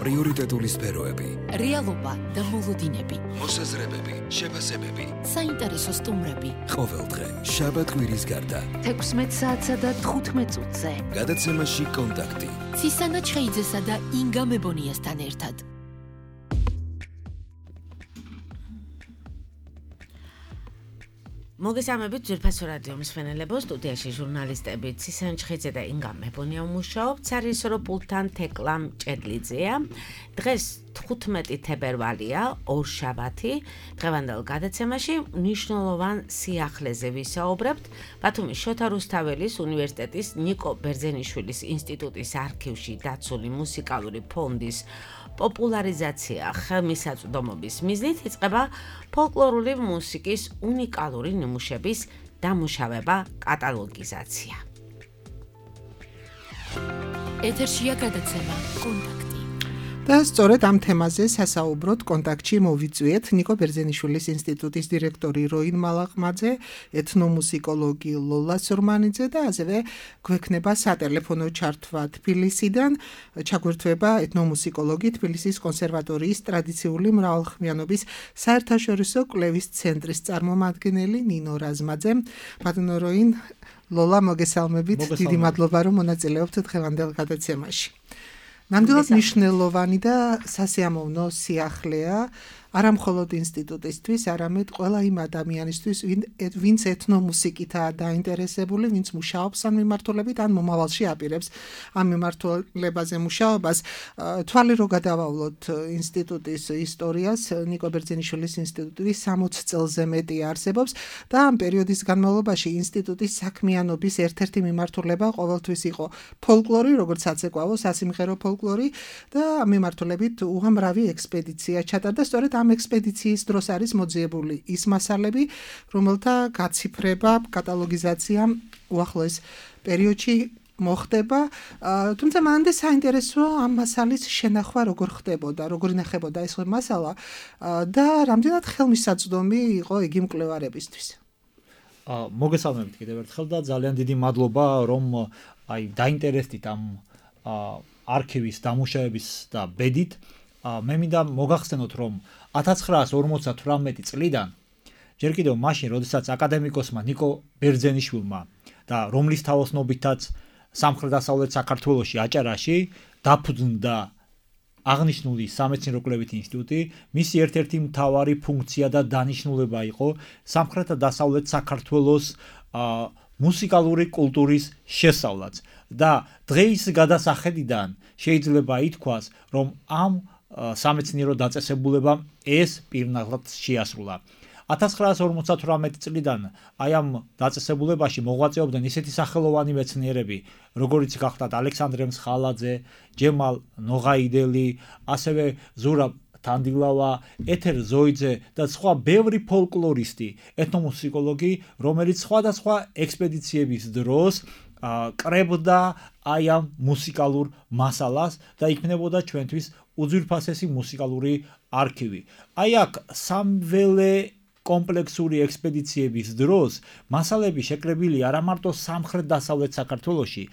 პრიორიტეტული სფეროები, რეალობა და მოლოდინები, მოსაზრებები, შეფასებები, საინტერესო სტუმრები. ყოველდღე შაბათ კვირის გარდა 16 საათსა და 15 წუთზე. გადაცემაში კონტაქტი. ცისანა ჩხეიძესა და ინგა მებონიასთან ერთად. მოგესალმებით ძვირფასო რადიო მსმენელებო, სტუდიაში ჟურნალისტები ცისანა ჩხეიძე და ინგა მებონია მუშაობთ, სარიჟისორო პულტთან თეკლა მჭედლიძეა. დღეს 15 თებერვალია, ორშაბათი. დღევანდელ გადაცემაში მნიშვნელოვან სიახლეზე ვისაუბრებთ. ბათუმის შოთა რუსთაველის უნივერსიტეტის ნიკო ბერძენიშვილის ინსტიტუტის არქივში დაცული მუსიკალური ფონდის პოპულარიზაცია ხელმისაწვდომობის მიზნით იწყება ფოლკლორული მუსიკის უნიკალური ნიმუშების დამუშავება, კატალოგიზაცია. ეთერშია გადაცემა კონტაქტი. და სწორედ ამ თემაზე სასაუბროთ კონტაქტში მოვიწვიეთ ნიკო ბერძენიშვილის ინსტიტუტის დირექტორი როინ მალაყმაძე, ეთნომუსიკოლოგი ლოლა სურმანიძე და ასევე გვექნება სატელეფონო ჩართვა თბილისიდან, ჩაგვერთვება ეთნომუსიკოლოგი თბილისის კონსერვატორიის ტრადიციული მრავალხმიანობის საერთაშორისო კვლევის ცენტრის წარმომადგენელი ნინო რაზმაძე. ბატონო როინ, ლოლა, მოგესალმებით. დიდი მადლობა, რომ მონაწილეობთ დღევანდელ გადაცემაში. ნამდვილად მნიშვნელოვანი და სასიამოვნო სიახლეა არა მხოლოდ ინსტიტუტისთვის, არამედ ყველა იმ ადამიანისთვის, ვინც ეთნომუსიკითაა დაინტერესებული, ვინც მუშაობს ამ მიმართულებით, ან მომავალში აპირებს ამ მიმართულებაზე მუშაობას. თვალი რო გადავავლოთ ინსტიტუტის ისტორიას, ნიკო ბერძენიშვილის ინსტიტუტი 60 წელზე მეტი არსებობს და ამ პერიოდის განმავლობაში ინსტიტუტის საქმიანობის ერთ-ერთი მიმართულება ყოველთვის იყო ფოლკლორი, როგორც საცეკვაო, სასიმღერო ფოლკლორი და ამ მიმართულებით უამრავი ექსპედიცია ჩატარდა. სწორედ ამ ექსპედიციის დროს არის მოძიებული ის მასალები, რომელთა გაციფრება, კატალოგიზაცია უახლოეს პერიოდში მოხდება, თუმცა მანამდე საინტერესო ამ მასალის შენახვა როგორ ხდებოდა, როგორ ინახებოდა ეს მასალა და რამდენად ხელმისაწვდომი იყო იგი მკვლევარებისთვის. მოგესალმებით კიდევ ერთხელ და ძალიან დიდი მადლობა, რომ დაინტერესდით ამ არქივის დამუშავების და ბედით. მე მინდა მოგახსენოთ, რომ 1958 წლიდან ჯერ კიდევ მაშინ, როდესაც აკადემიკოსმა ნიკო ბერძენიშვილმა და რომლის თაოსნობითაც სამხრეთ-დასავლეთ საქართველოში აჭარაში დაფუძნდა აღნიშნული სამეცნიერო-კვლევითი ინსტიტუტი, მისი ერთ-ერთი მთავარი ფუნქცია და დანიშნულება იყო სამხრეთ და დასავლეთ საქართველოს მუსიკალური კულტურის შესწავლაც და დღეის გადასახედიდან შეიძლება ითქვას, რომ ამ სამეცნიერო დაწესებულებამ ეს პირნაღად შეასრულა. 1958 წლიდან აი ამ დაწესებულებაში მოღვაწეობდნენ ისეთი სახელოვანი მეცნიერები, როგორიც გახდათ ალექსანდრე მსხალაძე, ჯემალ ნოღაიდელი, ასევე ზურაბ თანდილავა, ეთერ ზოიძე და სხვა ბევრი ფოლკლორისტი, ეთნომუსიკოლოგი, რომელიც სხვადასხვა ექსპედიციების დროს კრებდა აი ამ მუსიკალურ მასალას და იქნებოდა ჩვენთვის უძვირფასესი მუსიკალური არქივი. აი აქ სამველე კომპლექსური ექსპედიციების დროს მასალები შეკრებილი არა მარტო სამხრეთ-დასავლეთ საქართველოში,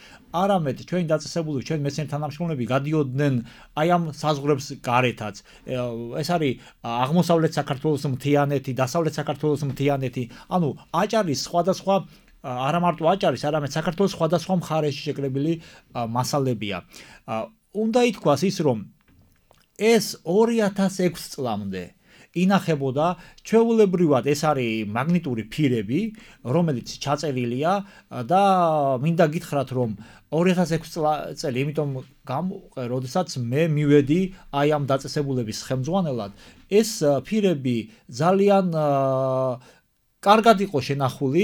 არამედ ჩვენი დაწესებული, ჩვენი მეცნიერ თანამშრომლები გადიოდნენ აი ამ საზღვრებს გარეთაც. ეს არის აღმოსავლეთ საქართველოს მთიანეთი, დასავლეთ საქართველოს მთიანეთი, ანუ აჭარის სხვადასხვა არა მარტო აჭარის, არამედ საქართველოს სხვადასხვა მხარეში შეკრებილი მასალებია. უნდა ითქვას ის, რომ ეს 2006 წლამდე ინახებოდა ჩვეულებრივად ეს არის მაგნიტური ფირები, რომელიც ჩაწერილია და მინდა გითხრათ, რომ 2006 წელი, იმიტომ გამოვყე, როდესაც მე მივედი აი ამ დაწესებულების ხელმძღვანელად, ეს ფირები ძალიან კარგად იყო შენახული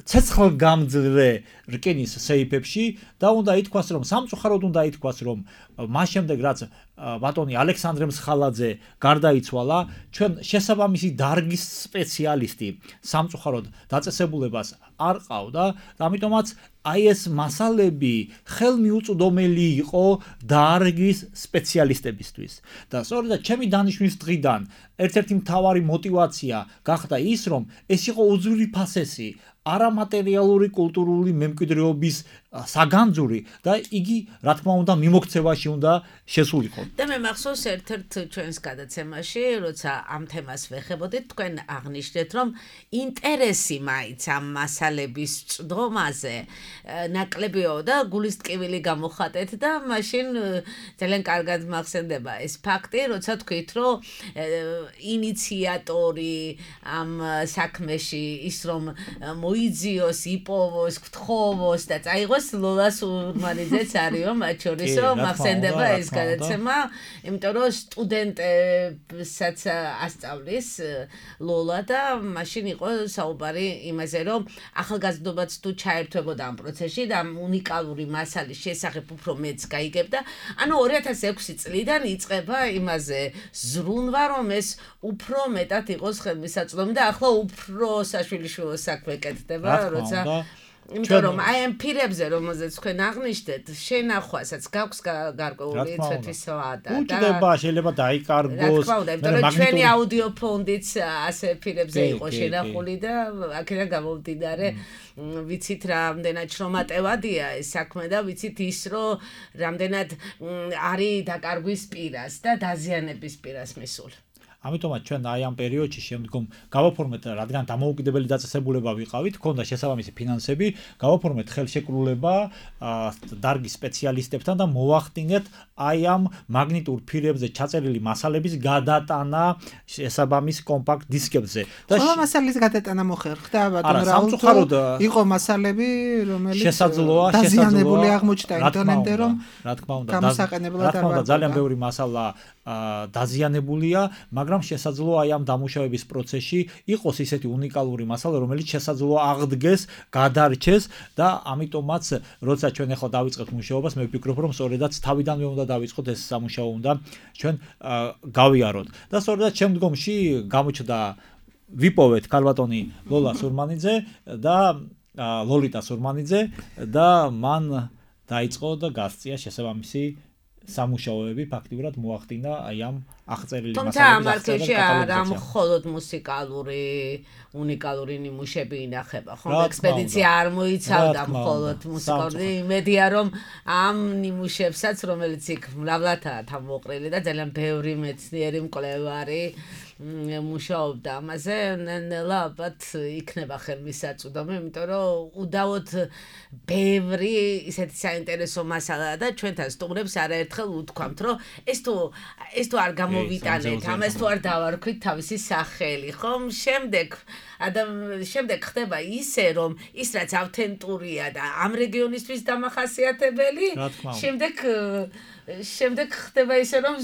ცეცხლგამძლე რკინის სეიფებში და უნდა ითქვას, რომ სამწუხაროდ უნდა ითქვას, რომ მას შემდეგ რაც ბატონი ალექსანდრე მსხალაძე გარდაიცვალა, ჩვენ შესაბამისი დარგის სპეციალისტი სამწუხაროდ დაწესებულებას არ ყავდა და ამიტომაც აი ეს მასალები ხელმიუწვდომელი იყო დარგის სპეციალისტებისთვის. და სწორედ ჩემი დანიშვნის დღიდან ერთ-ერთი მთავარი мотиваცია გახდა ის, რომ ეს იყო უძვირფასესი არამატერიალური კულტურული მემკვიდრეობის საგანძური და იგი რა თქმა უნდა მიმოქცევაში უნდა შესულიყო. და მე მახსოვს ერთ-ერთ ჩვენს გადაცემაში, როცა ამ თემას ვეხებოდით, თქვენ აღნიშნეთ, რომ ინტერესი მაინც ამ მასალების წვდომაზე ნაკლებიო და გულის ტკივილი გამოხატეთ და მაშინ ძალიან კარგად მახსენდება ეს ფაქტი, როცა თქვით, რომ ინიციატორი ამ საქმეში ის რომ მოიძიოს, იპოვოს, გთხოვოს და წაიღოს ლოლა სურმანიძეც არისო მათ შორისო მახსენდება ეს გადაცემა, იმიტომ რომ სტუდენტებსაც ასწავლის ლოლა და მაშინ იყო საუბარი იმაზე, რომ ახალგაზრდობაც თუ ჩაერთვებოდა ამ პროცესში და უნიკალური მასალის შესახებ უფრო მეც გაიგებდა. ანუ 2006 წლიდან იწყება იმაზე ზრუნვა, რომ ეს უფრო მეტად იყოს ხელმისაწვდომი და ახლა უფრო საშვილიშვილო საქმე კეთდება, როცა იმიტომ რომ აი ამ პირებზე რომელზეც თქვენ აღნიშნეთ, შენახვასაც გაქვს გარკვეული ცვეთვის ვადა და უჭდება შეიძლება დაიკარგოს. იმიტომ რომ ჩვენი აუდიო ფონდიც ასე პირებზე იყო შენახული და აქედან გამომდინარე ვიცით რამდენად შრომატევადია ეს საქმე და ვიცით ის რომ რამდენად არის დაკარგვის პირას და დაზიანების პირას მისული. ამიტომაც ჩვენ აი ამ პერიოდში შემდგომ გავაფორმეთ, რადგან დამოუკიდებელი დაწესებულება ვიყავით, ქონდა შესაბამისი ფინანსები, გავაფორმეთ ხელშეკრულება დარგის სპეციალისტებთან და მოვახდინეთ აი ამ მაგნიტურ ფირებზე ჩაწერილი მასალების გადატანა შესაბამის კომპაქტ დისკებზე. და ყველა მასალის გადატანა მოხერხდა ბატონ რაულტო. იყო მასალები, რომელიც შესაძლოა დაზიანებული აღმოჩნდა ინტერნეტზე, რომ რა თქმა უნდა გამოსაყენებლად არ ვარ. ძალიან ბევრი მასალა დაზიანებულია, მაგრამ შესაძლოა აი ამ დამუშავების პროცესში იყოს ისეთი უნიკალური მასალა, რომელიც შესაძლოა აღდგეს, გადარჩეს და ამიტომაც როცა ჩვენ ახლა დავიწყებთ მუშაობას, მე ვფიქრობ, რომ სწორედაც თავიდანვე უნდა დავიწყოთ ეს სამუშაო უნდა ჩვენ გავიაროთ. და სწორედაც შემდგომში გამოჩნდა ვიპოვეთ ქალბატონი ლოლა სურმანიძე და ლოლიტა სურმანიძე და მან დაიწყო და გასწია შესაბამისი სამუშაოები ფაქტიურად მოახდინა აი ამ აღწერილი მასალების. თუმცა ამ არქივში არა მხოლოდ მუსიკალური უნიკალური ნიმუშები ინახება, ხო? ექსპედიცია არ მოიცავდა მხოლოდ მუსიკალური, იმედია რომ ამ ნიმუშებსაც, რომელიც იქ მრავლადაა თავმოყრილი და ძალიან ბევრი მეცნიერი მკვლევარი მუშაობდა ამაზე, ნელა ალბათ იქნება ხელმისაწვდომი, იმიტომ რომ უდავოდ ბევრი ისეთი საინტერესო მასალაა და ჩვენთან სტუმრებს არაერთხელ უთქვამთ, რომ ეს თუ არ გამოვიტანეთ, ამას თუ არ დავარქვით თავისი სახელი, ხომ? შემდეგ ხდება ისე, რომ ის რაც ავთენტურია და ამ რეგიონისთვის დამახასიათებელი, შემდეგ ხდება ისე, რომ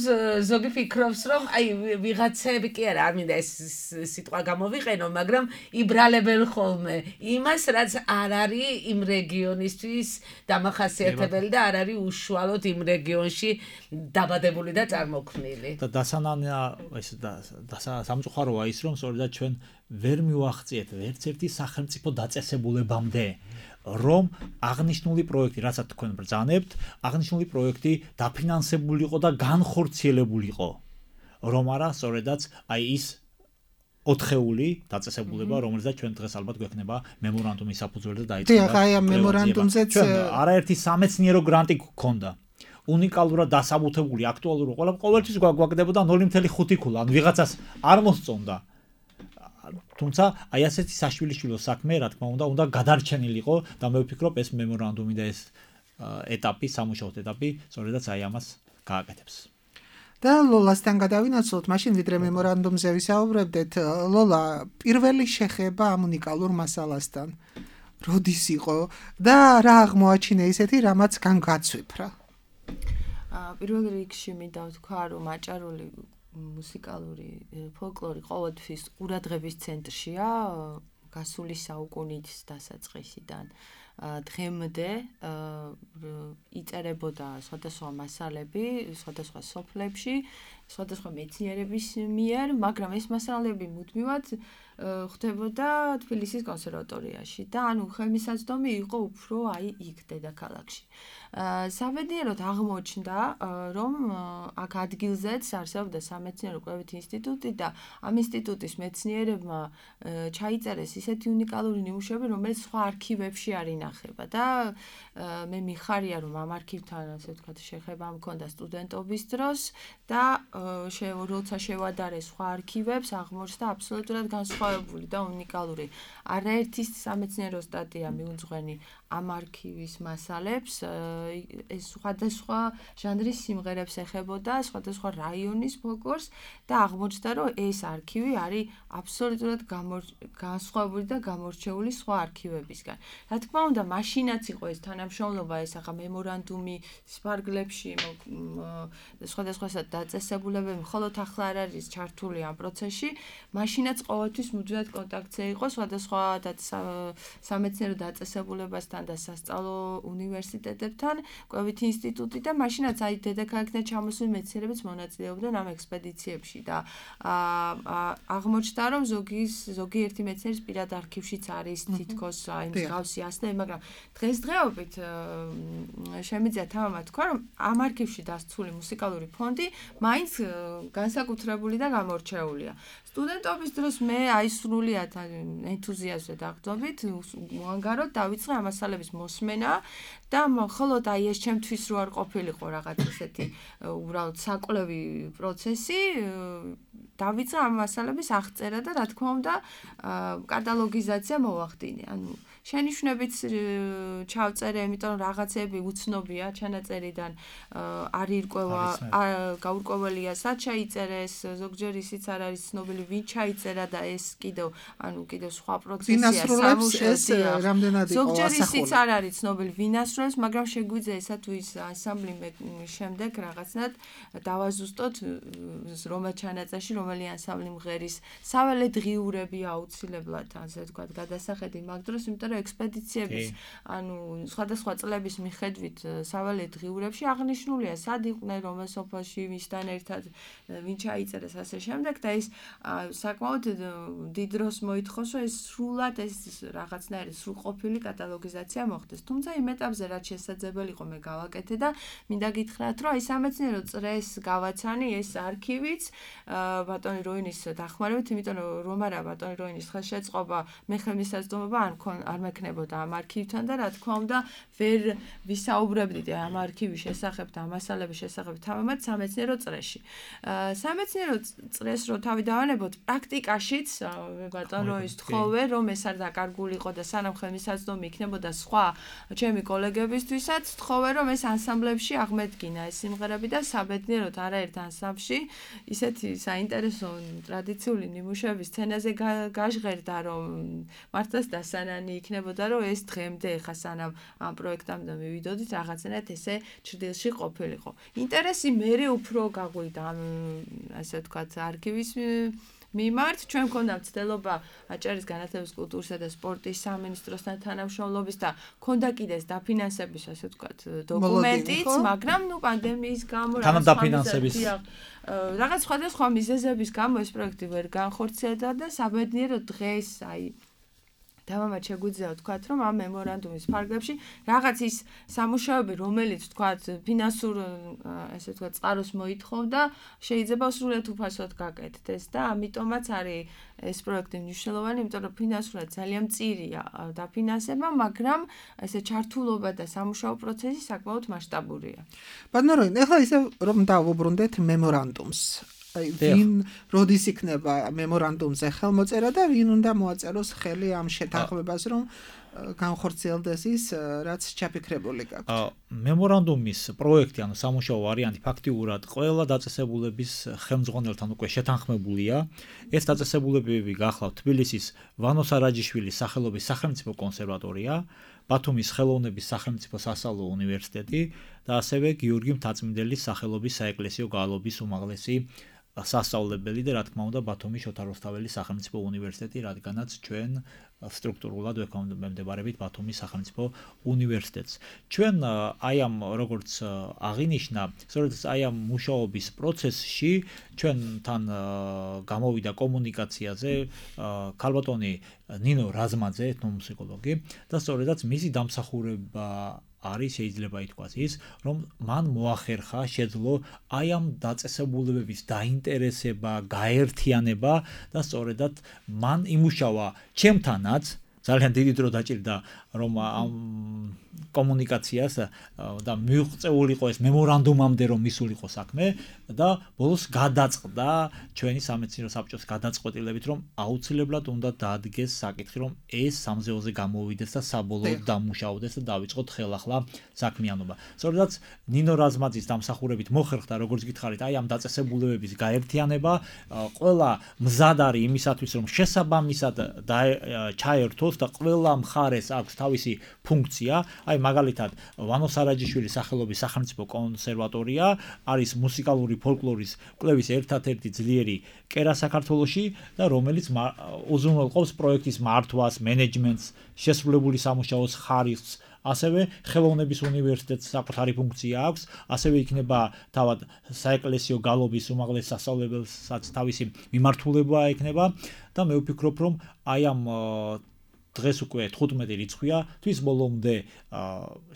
ზოგი ფიქრობს, რომ აი ვიღაცები კი არა, არ მინდა ეს სიტყვა გამოვიყენო, მაგრამ იბრალებენ ხოლმე იმას, რაც არ არის იმ რეგიონისთვის დამახასიათებელი და არ არის უშუალოდ იმ რეგიონში დაბადებული და წარმოქმნილი. და დასანანია ეს სამწუხაროა ის, რომ სწორედ ჩვენ ვერ მივახციეთ ერთ-ერთი სახელმწიფო დაწესებულებამდე, რომ აღნიშნული პროექტი, რასაც თქვენ ბრძანებთ, აღნიშნული პროექტი დაფინანსებულიყო და განხორციელებულიყო. რომ არა, სწორედაც აი ის 4-ეული დაწესებულება, რომელზეც ჩვენ დღეს ალბათ გვექნება მემორანდუმის საფუძველზე დაიწყება. დიახ, აი ამ მემორანდუმზეც არაერთი სამეცნიერო გრანტი გქონდა. უნიკალურად დასაბუთებული, აქტუალური ყოველთვის გვაგდებოდა 0.5 ქულა, ან ვიღაცას არ მოსწონდა. თუმცა აი ასეთი საშვილიშვილო საქმე, რა თქმა უნდა გადარჩენილიყო და მე ვფიქრობ ეს მემორანდუმი და ეს ეტაპი, სამუშაო ეტაპი, სწორედაც აი ამას გააკეთებს. და ლოლასთან გადავინაცვლოთ, მაშინ ვიდრე მემორანდუმზე ვისაუბრებდეთ, ლოლა, პირველი შეხება ამ უნიკალურ მასალასთან როდის იყო და რა აღმოაჩინა ისეთი, რამაც განგაცვიფრა? პირველ რიგში მინდა ვთქვა, რომ აჭარული მუსიკალური ფოლკლორი ყოველთვის ყურადღების ცენტრშია გასული საუკუნის დასაწყისიდან. დღემდე იწერებოდა სხვადასხვა მასალები, სხვადასხვა სოფლებში, სხვადასხვა მეცნიერების მიერ, მაგრამ ეს მასალები მუდმივად ხდებოდა თბილისის კონსერვატორიაში და ანუ ხელმისაწვდომი იყო უფრო აი იქ დედაქალაქში. საბედნიეროდ აღმოჩნდა, რომ აქ ადგილზეც არსებობდა სამეცნიერო კვლევითი ინსტიტუტი და ამ ინსტიტუტის მეცნიერებმა ჩაიწერეს ისეთი უნიკალური ნიმუშები, რომელიც სხვა არქივებში არ ინახება და მე მიხარია, რომ ამ არქივთან, ასე ვთქვათ, შეხება მქონდა სტუდენტობის დროს და როცა შევადარე სხვა არქივებს, აღმოჩნდა აბსოლუტურად განსხვავებული და უნიკალური. არაერთი სამეცნიერო სტატია მიუძღვენი ამ არქივის მასალებს, ეს სხვადასხვა ჟანრის სიმღერებს ეხებოდა, სხვადასხვა რაიონის ფოლკლორს და აღმოჩნდა, რომ ეს არქივი არის აბსოლუტურად განსხვავებული და გამორჩეული სხვა არქივებისგან. რა თქმა უნდა, მაშინაც იყო ეს თანამშრომლობა, ეს ახლა მემორანდუმი სპარგლებში, სხვადასხვა დაწესებულებები, მხოლოდ ახლა არ არის ჩართული ამ პროცესში, მაშინაც ყოველთვის მუდმივად კონტაქტზე იყო სხვადასხვა სამეცნიერო დაწესებულებასთან და სასწავლო უნივერსიტეტებთან, კვლევითი ინსტიტუტი და მაშინაც აი დედაქალაქიდან ჩამოსული მეცნიერებიც მონაწილეობდნენ ამ ექსპედიციებში და აღმოჩნდა, რომ ზოგიერთი მეცნიერის პირად არქივშიც არის თითქოს აი მსგავსი ასლები, მაგრამ დღესდღეობით შემიძლია თამამად თქვა, რომ ამ არქივში დასცული მუსიკალური ფონდი მაინც განსაკუთრებული და გამორჩეულია. სტუდენტობის დროს მე აი სრულიად ენთუზიაზმზე დაგრძობით, მოანგაროდ დავიწყე ამ მასალების მოსმენა და მხოლოდ აი ეს ჩემთვის რო არ ყოფილიყო რაღაც ესეთი უბრალოდ საკვლევი პროცესი, დავიწყე ამ მასალების აღწერა და რა თქმა უნდა კატალოგიზაცია მოვახდინე. ანუ შენიშვნებიც ჩავწერე, იმიტომ რომ რაღაცები უცნობია ჩანაწერიდან, არ ირკვევა, გაურკვეველია სად ჩაიწერეს, ზოგჯერ ისიც არ არის ცნობილი ვინ ჩაიწერა და ეს კიდევ სხვა პროცესია სამუშაოა. ზოგჯერ ისიც არ არის ცნობილი ვინ ასრულებს, მაგრამ შეგვიძლია ესა თუ ის ანსამბლი შემდეგ რაღაცნაირად დავაზუსტოთ რომელ ჩანაწერში რომელი ანსამბლი მღერის, საველე დღიურები აუცილებლად, ასე ვთქვათ, გადასახედი მაგ დროს, იმიტომ რომ ექსპედიციების, სხვადასხვა წლების მიხედვით საველე დღიურებში აღნიშნულია, სად იყვნენ, რომელ სოფელში, ვისთან ერთად, ვინ ჩაიწერეს, ასე შემდეგ და ეს საკმაოდ დიდ დროს მოითხოვს, რომ ეს სრულად ეს რაღაცნაირი სრულყოფილი კატალოგიზაცია მოხდეს. თუმცა იმ ეტაპზე რაც შესაძლებელი იყო მე გავაკეთე და მინდა გითხრათ, რომ აი სამეცნიერო წრეს გავაცანი ეს არქივიც ბატონი როინის დახმარებით, იმიტომ რომ არა ბატონი როინის ხელშეწყობა, მე ხელმისაწვდომობა არ მექნებოდა ამ არქივთან და რა თქმა უნდა ვერ ვისაუბრებდით ამ არქივის შესახებ და ამ მასალების შესახებ თამამად სამეცნიერო წრეში. სამეცნიერო წრეს რო თავი დავანებოთ, პრაქტიკაშიც მე ბატონ როის თხოვე, რომ ეს არ დაკარგულიყო და სანამ ხელმისაწვდომი იქნებოდა სხვა ჩემი კოლეგებისთვისაც, თხოვე რომ ეს ანსამბლებში აღმედგინა ეს სიმღერები და საბედნიეროდ არაერთ ანსამბლში ისეთი საინტერესო ტრადიციული ნიმუშების სცენაზე გაჟღერდა, რომ მართლაც დასანანი იქნებოდა, რომ ეს დღემდე ხა სანამ ამ პროექტამდე მივიდოდით, რაღაცნაირად ესე ჭრდილში ყოფილიყო. ინტერესი მერე უფრო გაგვიდა ამ ასე ვთქვათ არქივის მიმართ, ჩვენ მქონდა მცდელობა აჭარის განათლების, კულტურისა და სპორტის სამინისტროსთან თანამშრომლობის და მქონდა კიდეც დაფინანსების, ასე ვთქვათ, დოკუმენტიც, მაგრამ პანდემიის გამო რაღაც სხვადასხვა მიზეზების გამო ეს პროექტი ვერ განხორციელდა და საბედნიეროდ დღეს აი თამამად შეგვიძლია ვთქვათ, რომ ამ მემორანდუმის ფარგლებში რაღაც ის სამუშაოები, რომელიც ვთქვათ, ფინანსურ, ასე ვთქვათ, წყაროს მოითხოვდა, შეიძლება სრულიად უფასოდ გაკეთდეს და ამიტომაც არის ეს პროექტი მნიშვნელოვანი, იმიტომ რომ ფინანსურად ძალიან მწირია დაფინანსება, მაგრამ ესე ჩართულობა და სამუშაო პროცესი საკმაოდ მასშტაბურია. ბატონო როინ, ეხლა ისე რომ დავუბრუნდეთ მემორანდუმს. ვინ როდის იქნება მემორანდუმზე ხელმოწერა და ვინ უნდა მოაწეროს ხელი ამ შეთანხმებას, რომ განხორციელდეს ის, რაც ჩაფიქრებული გაქვთ. მემორანდუმის პროექტი, ანუ სამუშაო ვარიანტი ფაქტიურად ყველა დაწესებულების ხელმძღვანელთან უკვე შეთანხმებულია. ეს დაწესებულებები გახლავთ თბილისის ვანო სარაჯიშვილის სახელობის სახელმწიფო კონსერვატორია, ბათუმის ხელოვნების სახელმწიფო სასწავლო უნივერსიტეტი და ასევე გიორგი მთაწმიდელის სახელობის საეკლესიო გალობის უმაღლესი სასწავლებელი და რა თქმა უნდა ბათუმის შოთა რუსთაველის სახელმწიფო უნივერსიტეტი, რადგანაც ჩვენ სტრუქტურულად ვექვემდებარებით ბათუმის სახელმწიფო უნივერსიტეტს. ჩვენ აი ამ როგორც აღინიშნა, სწორედ აი ამ მუშაობის პროცესში ჩვენთან გამოვიდა კომუნიკაციაზე ქალბატონი ნინო რაზმაძე, ეთნომუსიკოლოგი და სწორედაც მისი დამსახურება არის შეიძლება ითქვას ის, რომ მან მოახერხა შეძლო აი ამ დაწესებულებების დაინტერესება, გაერთიანება და სწორედად მან იმუშავა ჩემთანაც ძალიან დიდი დრო დაჭირდა რომ ამ კომუნიკაციას და მიუღწეულიყო ეს მემორანდუმამდე რომ მისულიყო საქმე და ბოლოს გადაწყდა ჩვენი სამეცნიერო საბჭოს გადაწყვეტილებით რომ აუცილებლად უნდა დაადგეს საკითხი რომ ეს სამზეოზე გამოვიდეს და საბოლოოდ დამუშავდეს და დავიწყოთ ხელახლა საქმიანობა. სწორედაც ნინო რაზმაძის დამსახურებით მოხერხდა როგორც გითხარით აი ამ დაწესებულებების გაერთიანება, ყველა მზად არის იმისათვის რომ შესაბამისად ჩაერთოს და ყველა მხარეს აქვს თავისი ფუნქცია. აი მაგალითად ვანო სარაჯიშვილის სახელობის სახელმწიფო კონსერვატორია არის მუსიკალური ფოლკლორის კვლევის ერთადერთი ძლიერი კერა საქართველოში და რომელიც უზრუნველყოფს პროექტის მართვას, მენეჯმენტს, შესრულებული სამუშაოს ხარისხს. ასევე ხელოვნების უნივერსიტეტს საკუთარი ფუნქცია აქვს, ასევე იქნება თავად საეკლესიო გალობის უმაღლეს სასწავლებელსაც თავისი მიმართულება ექნება და მე ვფიქრობ რომ აი ამ დღეს უკვე 15 რიცხვია, თვის ბოლომდე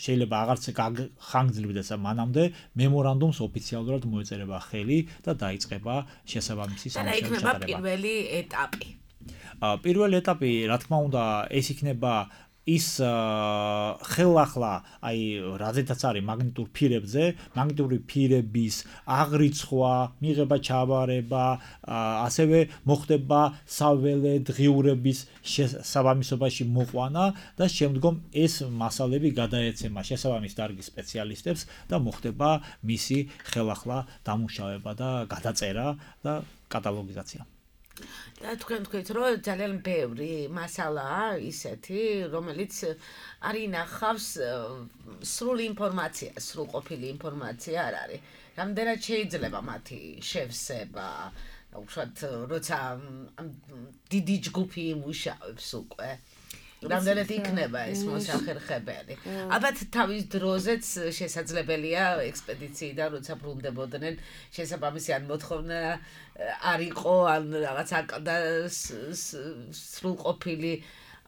შეიძლება აღარც ხანგრძლივდეს მანამდე მემორანდუმს ოფიციალურად მოეწერება ხელი და დაიწყება შესაბამისი სამუშაოების ჩატარება. პირველი ეტაპი. პირველი ეტაპი, რა თქმა უნდა, ეს იქნება ის ხელახლა აი რაზედაც არის მაგნიტურ ფირებზე, მაგნიტური ფირების აღრიცხვა, მიღება, ჩაბარება, ასევე მოხდება საველე დღიურების შესაბამისობაში მოყვანა და შემდგომ ეს მასალები გადაეცემა შესაბამის დარგის სპეციალისტებს და მოხდება მისი ხელახლა დამუშავება და გადაწერა და კატალოგიზაცია. და თქვენ თქვით რომ ძალიან ბევრი მასალაა ისეთი, რომელიც არ ინახავს სრული ინფორმაცია, სრულყოფილი ინფორმაცია არ არის. რამდენად შეიძლება მათი შევსება, უშუალოდ როცა დიდი ჯგუფი იმუშავებს უკვე. რამდენად იქნება ეს მოსახერხებელი. ალბათ თავის დროზეც შესაძლებელია ექსპედიციიდან როცა ბრუნდებოდნენ შესაბამისი ან მოთხოვნა არ იყო ან რაღაც აკდა სრულყოფილი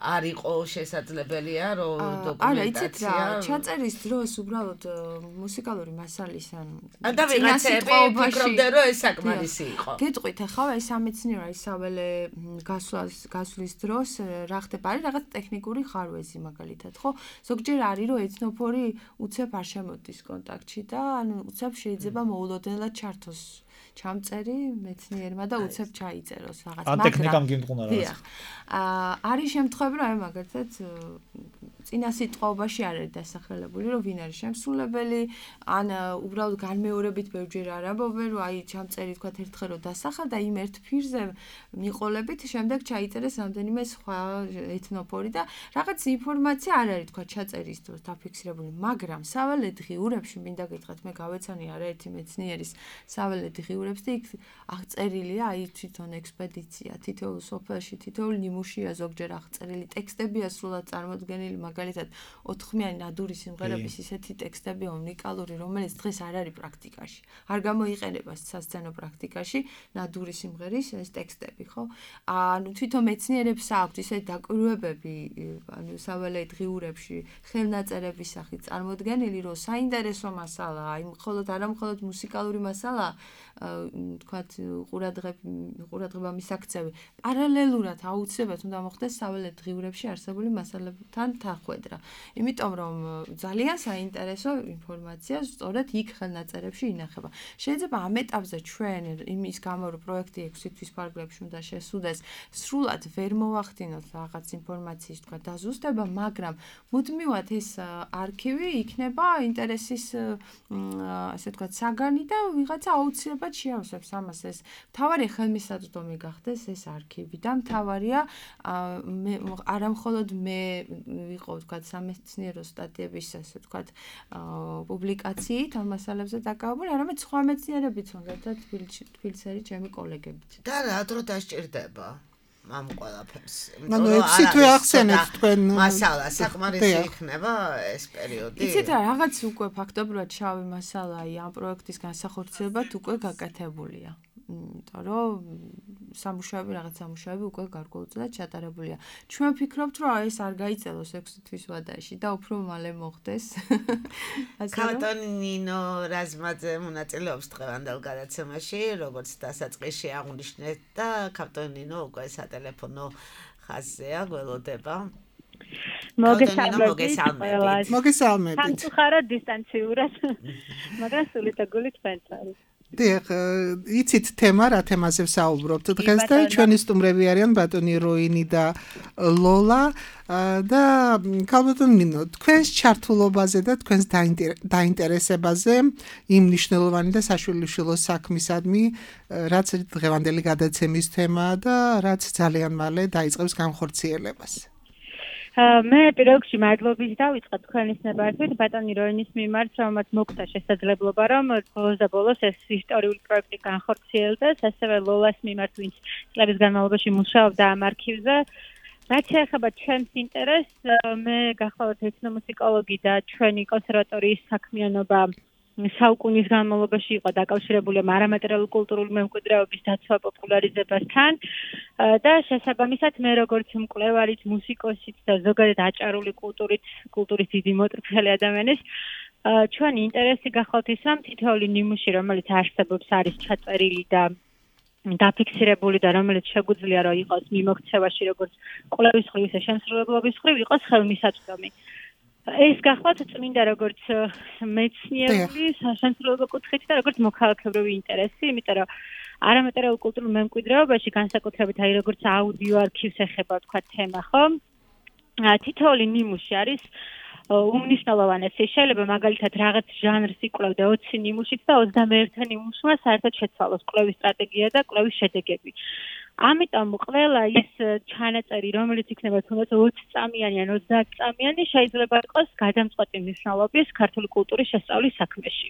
არ იყო შესაძლებელია რომ დოკუმენტაცია. არა, იცით რა, ჩაწერის დროს უბრალოდ მუსიკალური მასალის ან და ვიღაცები ფიქრობდნენ რომ ეს საკმარისი იყო. გეტყვით ახლა ეს სამეცნიერო ისაველე გასვლის დროს რა ხდება? არის რაღაც ტექნიკური ხარვეზი მაგალითად, ხო? ზოგჯერ არის რომ ეთნოფორი უცებ არ შემოდის კონტაქტში და ანუ უცებ შეიძლება მოულოდნელად ჩართოს ჩამწერი მეცნიერმა და უცებ ჩაიწეროს რაღაც მაგრამ ტექნიკამ გიმტყუნა რაღაც. არის შემთხვევები რომ აი მაგალითად წინა სიტყვაობაში არ არის დასახელებული რომ ვინ არის შემსრულებელი ან უბრალოდ განმეორებით ბევრჯერ არ ამბობენ რომ აი ჩამწერი თქვა ერთხელ რომ დასახა და იმ ერთ ფირზე მიყოლებით შემდეგ ჩაიწერეს რამდენიმე სხვა ეთნოფორი და რაღაც ინფორმაცია არ არის თქვა ჩაწერის დროს დაფიქსირებული, მაგრამ საველე დღიურებში მინდა გითხრათ მე გავეცანი არაერთი მეცნიერის საველე დღიურებს და იქ აღწერილია აი თვითონ ექსპედიცია, თითოეულ სოფელში, თითოეულ ნიმუშია ზოგჯერ აღწერილი ტექსტებია სრულად წარმოდგენილი მაგალითად 4-ხმიანი ნადური სიმღერების ისეთი ტექსტებია უნიკალური, რომელიც დღეს არ არის პრაქტიკაში. არ გამოიყენება სასცენო პრაქტიკაში ნადური სიმღერის ეს ტექსტები, ხო? ანუ თვითონ მეცნიერებს აქვთ ისეთი დაკვირვებები, ანუ საველე დღიურებში ხელნაწერების სახით წარმოდგენილი, რომ საინტერესო მასალაა, აი მხოლოდ არა მხოლოდ მუსიკალური მასალაა, თქვათ ყურადღება მისაქცევი. პარალელურად აუცილებლად უნდა მოხდეს საველე დღიურებში არსებული მასალებთან თანხვედრა. იმიტომ რომ ძალიან საინტერესო ინფორმაცია სწორედ იქ ხელნაწერებში ინახება. შეიძლება ამ ეტაპზე ჩვენ იმის გამო რომ პროექტი 6 თვის ფარგლებში უნდა შესუდეს, სრულად ვერ მოვახდინოთ რაღაც ინფორმაციის თქვა დაზუსტება, მაგრამ მუდმივად ეს არქივი იქნება ინტერესის ასე თქვა საგანი და ვიღაცა აუცილებლად შეავსებს ამას ეს მთავარი ხელმისაწვდომი გახდეს ეს არქივი და მთავარია არამხოლოდ მე ვიყო ვთქვათ სამეცნიერო სტატიების ასე ვთქვათ პუბლიკაციით ამ მასალებზე დაკავებული, არამედ სხვა მეცნიერებიც უნდა და თბილისელი ჩემი კოლეგებიც. და რა დრო დასჭირდება ამ ყველაფერს? ანუ ეცი თუ ახსენეთ თქვენ მასალა საკმარისი იქნება ეს პერიოდი? იცით რა, რაღაც უკვე ფაქტობრივად შავი მასალა ამ პროექტის განსახორციელებლად უკვე გაკეთებულია. იმიტომ რომ რაღაც სამუშაოები უკვე გარკვეულწილად ჩატარებულია. ჩვენ ვფიქრობთ, რომ ეს არ გაიწელოს 6 თვის ვადაში და უფრო მალე მოხდეს. ქალბატონი ნინო რაზმაძე მონაწილეობს დღევანდელ გადაცემაში, როგორც დასაწყისში აღნიშნეთ და ქალბატონი ნინო უკვე სატელეფონო ხაზზეა, გველოდება. მოგესალმებით. მოგესალმებით. დისტანციურად, მაგრამ სულით და გულით თქვენც არის. დიახ, იცით თემა რა თემაზე ვსაუბრობთ დღეს და ჩვენი სტუმრები არიან ბატონი როინი და ლოლა და ქალბატონი ნინო, თქვენს ჩართულობაზე და თქვენს დაინტერესებაზე იმ მნიშვნელოვანი და საშვილიშვილო საქმისადმი, რაც დღევანდელი გადაცემის თემაა და რაც ძალიან მალე დაიწყებს განხორციელებას. მე პირველ რიგში მადლობის დავიწყე თქვენის ნებართვით ბატონი როინის მიმართ, რომელმაც მოგვცა შესაძლებლობა, რომ ბოლოს და ბოლოს ეს ისტორიული პროექტი განხორციელდეს, ასევე ლოლას მიმართ, ვინც წლების განმავლობაში მუშაობდა ამ არქივზე. რაც შეეხება ჩემს ინტერესს, მე გახლავთ ეთნომუსიკოლოგი და ჩვენი კონსერვატორიის საქმიანობა საუკუნის განმავლობაში იყო დაკავშირებული არამატერიალური კულტურული მემკვიდრეობის დაცვა პოპულარიზებასთან და შესაბამისად მე როგორც მკვლევარიც, მუსიკოსიც და ზოგადად აჭარული კულტურის დიდი მოტრფელი ადამიანის ჩვენი ინტერესი გახლავთ ის, რომ თითოეული ნიმუში, რომელიც არსებობს, არის ჩაწერილი და დაფიქსირებული და რომელიც შეგვიძლია რომ იყოს მიმოქცევაში როგორც კვლევის მხრივ, ისე შემსრულებლობის მხრივ იყოს ხელმისაწვდომი. ეს გახლავთ წმინდა როგორც მეცნიერული საშემსრულებლო კუთხით და როგორც მოქალაქებრივი ინტერესი, იმიტომ რომ არამატერიალურ კულტურულ მემკვიდრეობაში განსაკუთრებით როგორც აუდიო არქივს ეხება თქვა თემა, ხო? თითოეული ნიმუში არის უმნიშვნელოვანესი. შეიძლება მაგალითად რაღაც ჟანრს იკვლევდე 20 ნიმუშით და 21 ნიმუშმა საერთოდ შეცვალოს კვლევის სტრატეგია და კვლევის შედეგები. ამიტომ ყველა ის ჩანაწერი, რომელიც იქნება თუნდაც 20 წამიანი ან 30 წამიანი, შეიძლება იყოს გადამწყვეტი მნიშვნელობის ქართული კულტურის შესწავლის საქმეში.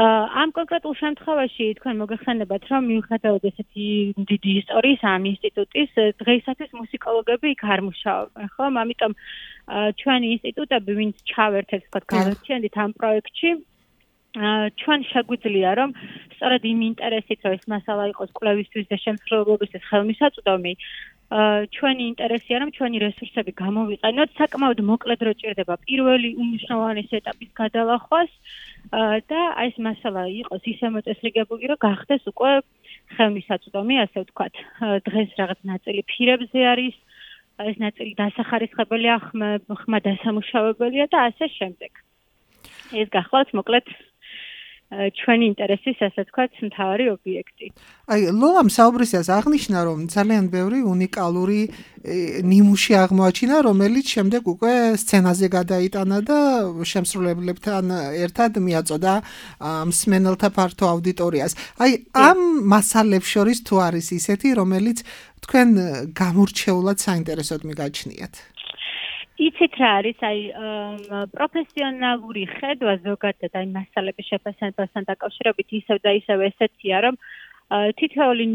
ამ კონკრეტულ შემთხვევაში თქვენ მოგეხსენებათ, რომ მიუხედავად ესეთი დიდი ისტორიის ამ ინსტიტუტის, დღეისათვის მუსიკოლოგები იქ არ მუშაობენ, ხო? ამიტომ ჩვენი ინსტიტუტები, ვინც ჩავერთეთ, თქვა, გავერთიანდით ამ პროექტში, ჩვენ შეგვიძლია რომ სწორედ იმ ინტერესით რომ ეს მასალა იყოს კვლევისთვის და შემსრულებლობისთვის ხელმისაწვდომი ჩვენი ინტერესია რომ ჩვენი რესურსები გამოვიყენოთ საკმაოდ მოკლედ რო ჭირდება პირველი უმნიშვნელოვანესი ეტაპის გადალახვას და ეს მასალა იყოს ისე მოწესრიგებული რომ გახდეს უკვე ხელმისაწვდომი ასე ვთქვათ დღეს რაღაც ნაწილი ფირებზე არის ეს ნაწილი დასახარისხებელია ხმა დასამუშავებელია და ასე შემდეგ ეს გახლავთ მოკლედ ჩვენი ინტერესის ასე ვთქვათ მთავარი ობიექტი. აი, ლოლამ საუბრისას აღნიშნა, რომ ძალიან ბევრი უნიკალური ნიმუში აღმოაჩინა, რომელიც შემდეგ უკვე სცენაზე გადაიტანა და შემსრულებლებთან ერთად მიაწოდა მსმენელთა ფართო აუდიტორიას. აი, ამ მასალებს შორის თუ არის ისეთი, რომელიც თქვენ გამორჩეულად საინტერესოდ მიგაჩნიათ? იცით რა არის, აი პროფესიონალური ხედვა ზოგადად აი მასალების შეფასებასთან დაკავშირებით ისევ და ისევ ესეთია, რომ თითოეული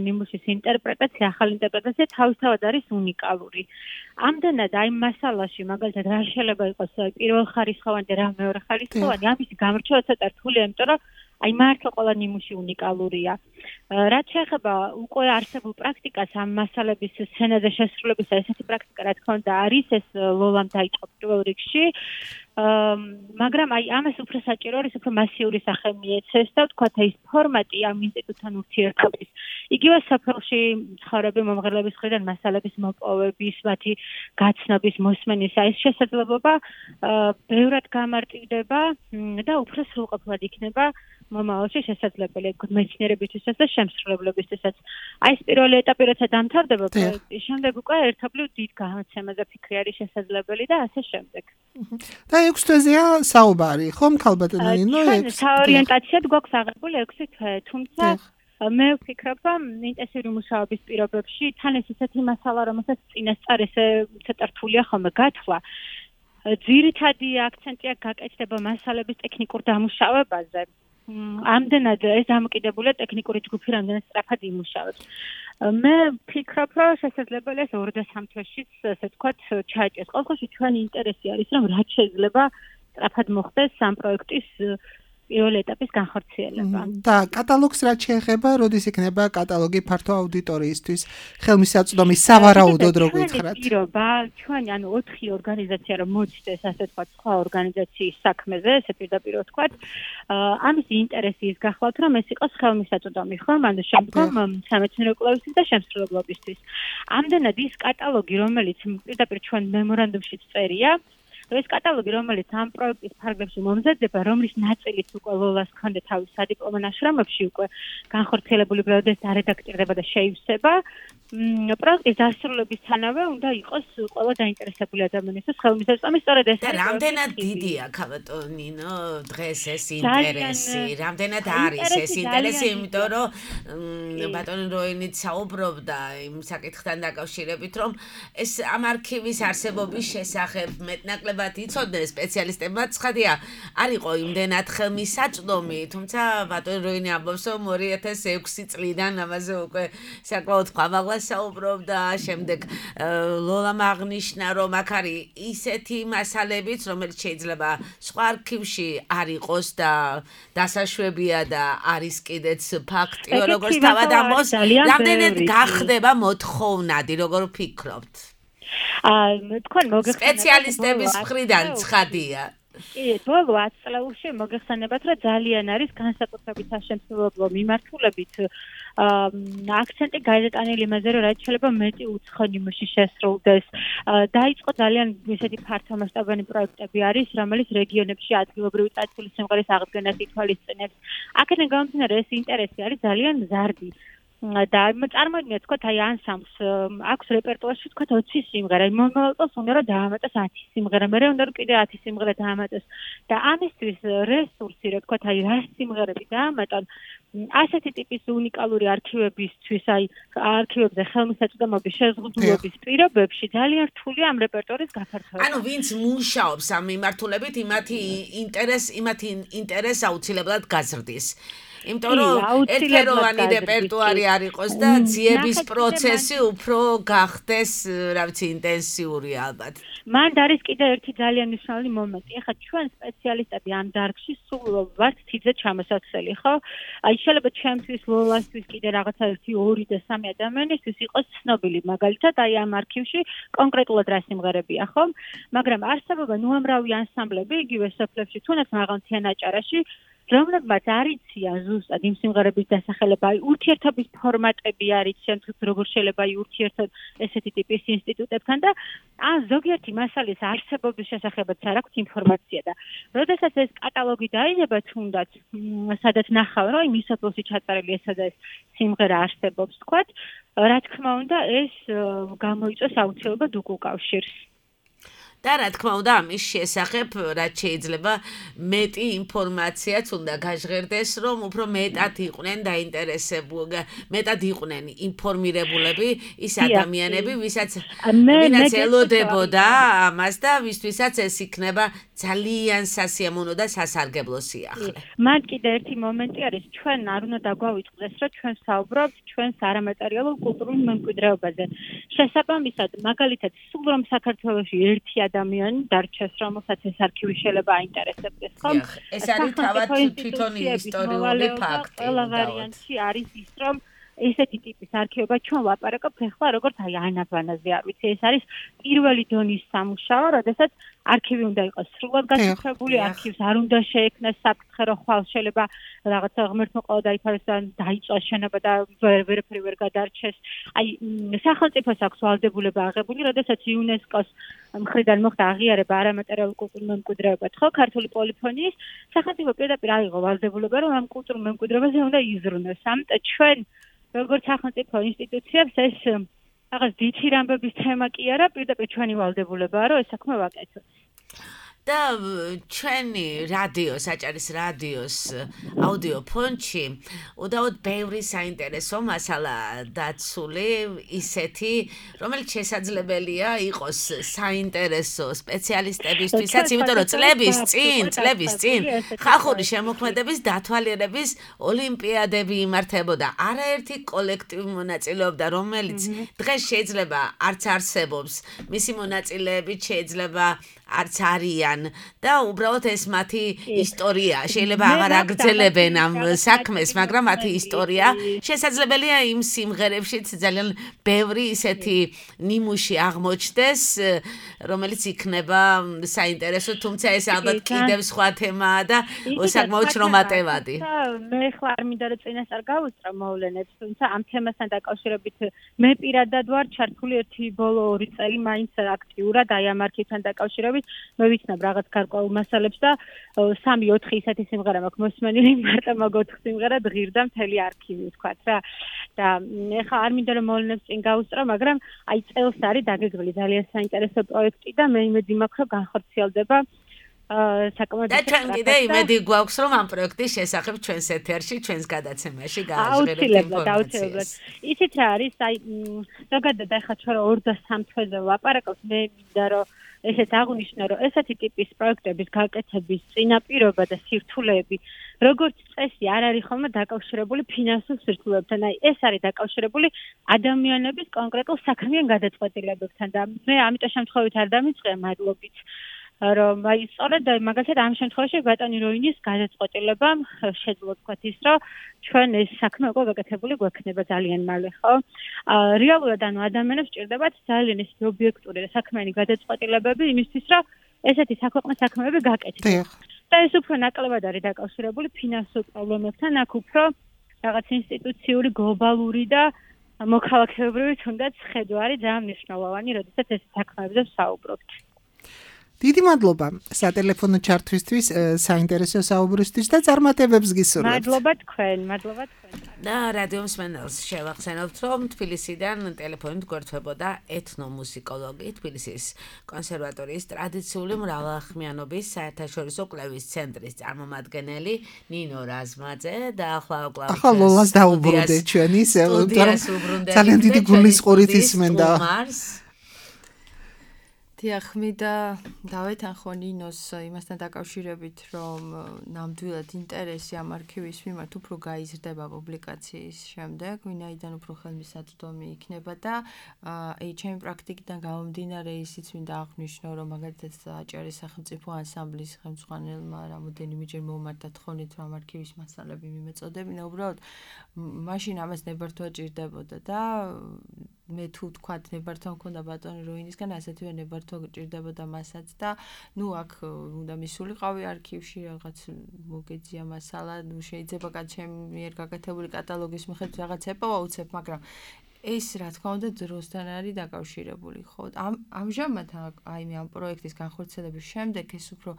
ნიმუშის ინტერპრეტაცია, ახალი ინტერპრეტაცია თავისთავად არის უნიკალური. ამდენად აი მასალაში მაგალითად რა შეიძლება იყოს პირველხარისხოვანი და რა მეორეხარისხოვანი, ამის გამორჩევა ცოტა რთულია, იმიტომ რომ აი მართლა ყველა ნიმუში უნიკალურია. რაც შეეხება უკვე არსებულ პრაქტიკას ამ მასალების სცენაზე შესრულებისა, ესეთი პრაქტიკა რა თქმა უნდა არის, ეს ლოლამ დაიწყო პირველ რიგში. მაგრამ აი ამას უფრო საჭირო არის, უფრო მასიური სახე მიეცეს და ვთქვათ ეს ფორმატი ამ ინსტიტუტთან ურთიერთობის. იგივე სოფელში მცხოვრები მომღერლების მხრიდან მასალების მოპოვების, მათი გაცნობის, მოსმენის, ეს შესაძლებლობა ბევრად გამარტივდება და უფრო სრულყოფილად იქნება მომავალში შესაძლებელია თქო მეცნიერებისთვისაც და შემსრულებლობისთვისაც. აი ეს პირველი ეტაპი როცა დამთავრდება პროექტის შემდეგ უკვე ერთობლივ დიდ გამოცემაზე ფიქრი არის შესაძლებელი და ასე შემდეგ. და 6 თვეზეა საუბარი, ხომ ქალბატონო ნინო? საორიენტაციად გვაქვს აღებული 6 თვე, თუმცა მე ვფიქრობ, რომ ინტენსიური მუშაობის პირობებში თან ეს ისეთი მასალა, რომელსაც წინასწარ ესე ცოტა რთულია ხოლმე გათვლა. ძირითადი აქცენტია გაკეთდება მასალების ტექნიკურ დამუშავებაზე. ამდენად ეს დამოკიდებულია ტექნიკური ჯგუფი რამდენად სწრაფად იმუშავებს. მე ვფიქრობ, რომ შესაძლებელია 2 და 3 თვეშიც, ასე ვთქვათ, ჩაეჭდეს. ყოველ შემთხვევაში ჩვენი ინტერესი არის, რომ რაც შეიძლება სწრაფად მოხდეს ამ პროექტის პირველი ეტაპის განხორციელება. და კატალოგს რაც შეეხება, როდის იქნება კატალოგი ფართო აუდიტორიისთვის ხელმისაწვდომი სავარაუდოდ როგორ გითხრათ? პირობა, ჩვენი ანუ 4 ორგანიზაცია რომ მოჩნდეს, ასე ვთქვათ, სხვა ორგანიზაციის საქმეზე, ესე პირდაპირ ვთქვათ, ამის ინტერესი ის გახლავთ, რომ ეს იყოს ხელმისაწვდომი, ხო? ანუ შემდგომ სამეცნიერო კვლევისთვის და შემსრულებლობისთვის. ამდენად ის კატალოგი, რომელიც პირდაპირ ჩვენ მემორანდუმშიც წერია, ეს კატალოგი, რომელიც ამ პროექტის ფარგლებში მომზადდება, რომლის ნაწილიც უკვე ლოლას ჰქონდა თავის სადიპლომო ნაშრომებში უკვე განხორციელებული პროექტს არედაქტირდება და შეივსება, პროექტის დასრულებისთანავე უნდა იყოს ყველა დაინტერესებული ადამიანისთვის ხელმისაწვდომი, სწორედ ეს და რამდენად დიდია ქალბატონო ნინო დღეს ეს ინტერესი, რამდენად არის ეს ინტერესი, იმიტომ რომ ბატონი როინიც საუბრობდა იმ საკითხთან დაკავშირებით, რომ ეს ამ არქივის არსებობის შესახებ მეტნაკლებად იცოდნენ სპეციალისტებმა, ცხადია, არ იყო იმდენად ხელმისაწვდომი, თუმცა ბატონი როინი ამბობს, რომ 2006 წლიდან ამაზე უკვე საკმაოდ ხმამაღლა საუბრობდა, შემდეგ ლოლამ აღნიშნა, რომ აქ არის ისეთი მასალებიც, რომელიც შეიძლება სხვა არქივში არ იყოს და დასაშვებია და არის კიდეც ფაქტი, როგორც თავად ამბობს, რამდენად გახდება მოთხოვნადი, როგორ ვფიქრობთ? თქვენ მოგეხსენებათ სპეციალისტების მხრიდან ცხადია. კი, ბოლო 10 წლებში მოგეხსენებათ, რომ ძალიან არის განსაკუთრებით საშემსრულებლო მიმართულებით აქცენტი გაიტანილი იმაზე, რომ რაც შეიძლება მეტი უცხო ნიმუში შესრულდეს. დაიწყო ძალიან ისეთი ფართომასშტაბიანი პროექტები არის, რომელიც რეგიონებში ადგილობრივი წარსულის სიმღერის აღდგენას ითვალისწინებს. აქედან გამომდინარე, ეს ინტერესი არის ძალიან მზარდი. და წარმოიდგინეთ, თქვათ, აი ანსამბლს აქვს რეპერტუარში, თქვათ, 20 სიმღერა. მომავალ წელს უნდა რომ დაამატოს 10 სიმღერა, მერე უნდა რომ კიდე 10 სიმღერა დაამატოს. და ამისთვის რესურსი, რა თქვათ, აი რა სიმღერები დაამატონ, ასეთი ტიპის უნიკალური არქივებისთვის, აი არქივებზე ხელმისაწვდომობის შეზღუდულობის პირობებში ძალიან რთულია ამ რეპერტუარის გაფართოება. ანუ ვინც მუშაობს ამ მიმართულებით, იმათი ინტერესს აუცილებლად გაზრდის. იმიტომ რომ ერთეროვანი რეპერტუარი არ იყოს და ძიების პროცესი უფრო გახდეს, რა ვიცი, ინტენსიური ალბათ. მან არის კიდე ერთი ძალიან მნიშვნელოვანი მომენტი. ეხლა ჩვენ სპეციალისტები ამ დარგში სულ ვართ თიძე ჩამოსაცდელი, ხო? აი შეიძლება ჩემთვის ლოლასთვის კიდე რაღაცა 1, 2 და 3 ადამიანისთვის იყოს ცნობილი, მაგალითად, აი ამ არქივში კონკრეტულად რა სიმღერებია, ხო? მაგრამ არსებობა უამრავი ანსამბლები იგივე სოფლებში, თუნდაც მაღალმთიან აჭარაში, რომლებმაც არ იციან ზუსტად იმ სიმღერების დასახელება, აი ურთიერთობის ფორმატები არ იციან, როგორ შეიძლება აი ურთიერთოდ ესეთი ტიპის ინსტიტუტებთან და ზოგიერთი მასალის არსებობის შესახებაც არ აქვს ინფორმაცია და როდესაც ეს კატალოგი დაიდება თუნდაც, სადაც ნახავ, რომ იმ სოფელში ჩაწერილი ესა და ეს სიმღერა არსებობს, თქვათ, რა თქმა უნდა, ეს გამოიწვევს აუცილებლად უკავშირს. და რა თქმა უნდა ამის შესახებ რაც შეიძლება მეტი ინფორმაციაც უნდა გაჟღერდეს, რომ უფრო მეტად იყვნენ დაინტერესებული, მეტად იყვნენ ინფორმირებულები ის ადამიანები, ვინაც ელოდებოდა ამას და ვისთვისაც ეს იქნება ძალიან სასიამოვნო და სასარგებლო სიახლე. მან კიდე ერთი მომენტი არის, ჩვენ არ უნდა დაგვავიწყდეს, რომ ჩვენ საუბრობთ ჩვენს არამატერიალურ კულტურულ მემკვიდრეობაზე. შესაბამისად, მაგალითად, სულ რომ საქართველოში ერთი ადამიანი დარჩეს, რომელსაც ეს არქივი შეიძლება აინტერესებდეს, ხო? ეს არის თავად თვითონ ისტორიული ფაქტი. ყველა ვარიანტი არის ის, რომ ესეთი ტიპის არქივება ჩვენ ვაპარაკობთ ახლა როგორც აი ანაბანაზე არ ვიცი ეს არის პირველი დონის სამუშაო როდესაც არქივი უნდა იყოს სრულად გაშიფრებული არქივს არ უნდა შეექმნას საფრთხე რომ ხვალ შეიძლება რაღაცა ღმერთმოყოლა დაიფაროს და დაიწვას შენობა და ვერაფერი ვერ გადარჩეს აი სახელმწიფოს აქვს ვალდებულება აღებული როდესაც იუნესკოს მხრიდან მოხდა აღიარება არამატერიალური კულტურულ მემკვიდრეობად ხო ქართული პოლიფონიის სახელმწიფო პირდაპირ აიღო ვალდებულება რომ ამ კულტურულ მემკვიდრეობაზე უნდა იზრუნოს ამიტომ ჩვენ როგორც სახელმწიფო ინსტიტუციებს ეს რაღაც დიდი რამბების თემა კი არა პირდაპირ ჩვენი ვალდებულებაა რომ ეს საქმე ვაკეთოთ და ჩვენი რადიო, საჭარის რადიოს აუდიო ფონდში უდაოდ ბევრი საინტერესო მასალა დაცული ისეთი, რომელიც შესაძლებელია იყოს საინტერესო სპეციალისტებისთვისაც, იმიტომ რომ წლების წინ ხალხური შემოქმედების დათვალიერების ოლიმპიადები იმართებოდა. არაერთი კოლექტივი მონაწილეობდა, რომელიც დღეს შეიძლება არც არსებობს, მისი მონაწილეებით შეიძლება არც არიან და უბრალოდ ეს მათი ისტორია შეიძლება აღარ აგრძელებენ ამ საქმეს, მაგრამ მათი ისტორია შესაძლებელია იმ სიმღერებშიც ძალიან ბევრი ისეთი ნიმუში აღმოჩნდეს, რომელიც იქნება საინტერესო, თუმცა ეს ალბათ კიდევ სხვა თემაა და საკმაოდ შრომატევადი. მე ხლა არ მინდა რომ წინასწარ გავუსწრო მოვლენებს, თუმცა ამ თემასთან დაკავშირებით მე პირადად ვარ ჩართული ერთი ბოლო 2 წელი მაინც აქტიურად აი ამ არქივთან დაკავშირებით მე ვიცნობ რაღაც გარკვეულ მასალებს და 3-4 ისეთი სიმღერა მაქვს მოსმენილი მარტო მაგ 4 სიმღერად ღირდა მთელი არქივი ვთქვათ რა და ეხლა არ მინდა რომ მოვლენებს წინ გავუსწრო მაგრამ აი წელს არის დაგეგმილი ძალიან საინტერესო პროექტი და მე იმედი მაქვს რომ განხორციელდება საკმაოდ და ჩვენ კიდე იმედი გვაქვს რომ ამ პროექტის შესახებ ჩვენს ეთერში ჩვენს გადაცემაში გააჟღერებთ ინფორმაციას ისიც რა არის აი ზოგადად ახლა ჩვენ 2-3 თვეზე ვაპარაკობთ მე მინდა რომ ესეც აღნიშნო რომ ესეთი ტიპის პროექტების გაკეთების წინაპირობა და სირთულეები როგორც წესი არ არის ხოლმე დაკავშირებული ფინანსურ სირთულეებთან აი ეს არის დაკავშირებული ადამიანების კონკრეტულ საქმიან გადაწყვეტილებებთან და მე ამიტომ შემთხვევით არ დამიწყია მადლობით რომ აი სწორედ მაგალითად ამ შემთხვევაში ბატონი როინის გადაწყვეტილებამ შეძლო თქვათ ის რომ ჩვენ ეს საქმე უკვე გაკეთებული გვექნება ძალიან მალე ხო რეალურად ანუ ადამიანებს ჭირდებათ ძალიან ეს ობიექტური და საქმიანი გადაწყვეტილებები იმისთვის რომ ესეთი საქვეყნო საქმეები გაკეთდეს და ეს უფრო ნაკლებად არის დაკავშირებული ფინანსურ პრობლემებთან აქ უფრო რაღაც ინსტიტუციური გლობალური და მოქალაქეობრივი თუნდაც ხედვა არის ძალიან მნიშვნელოვანი როდესაც ეს საქმეებზე ვსაუბრობთ დიდი მადლობა სატელეფონო ჩართვისთვის, საინტერესო საუბრისთვის და წარმატებებს გისურვებთ. მადლობა თქვენ. და რადიო მსმენელს შევახსენებთ, რომ თბილისიდან ტელეფონით გვერდთვებოდა ეთნომუსიკოლოგი, თბილისის კონსერვატორიის ტრადიციული მრავალხმიანობის საერთაშორისო კვლევის ცენტრის წარმომადგენელი ნინო რაზმაძე და ახლა ლოლას დაუბრუნდეთ ჩვენი ძალიან დიდი გულისყურით ისმენდა. დიახმიდა დავეთანხო ნინოს იმასთან დაკავშირებით, რომ ნამდვილად ინტერესი ამ არქივის მიმართ უფრო გაიზრდება პუბლიკაციის შემდეგ, ვინაიდან უფრო ხელმისაწვდომი იქნება და აი ჩემი პრაქტიკიდან გამომდინარე ისიც მინდა აღვნიშნო, რომ მაგალითად აჭარის სახელმწიფო ანსამბლის ხელმძღვანელმა რამოდენიმეჯერ მომართა თხოვნით, რომ ამ არქივის მასალები მიმეწოდებინა, უბრალოდ მაშინ ამას ნებართვა ჭირდებოდა და მე თუ თქვათ ნებართვა მქონდა ბატონი როინისგან, ასეთივე ნებართვა ჭირდებოდა მასაც და ნუ აქ უნდა მისულიყავი არქივში რაღაც მოგეძია მასალა, ნუ შეიძლება ჩემი მიერ გაკეთებული კატალოგის მიხედვით რაღაც ეპოვა უცებ, მაგრამ ეს რა თქმა უნდა დროსთან არის დაკავშირებული, ხო? ამჟამად აი მე ამ პროექტის განხორციელების შემდეგ ეს უფრო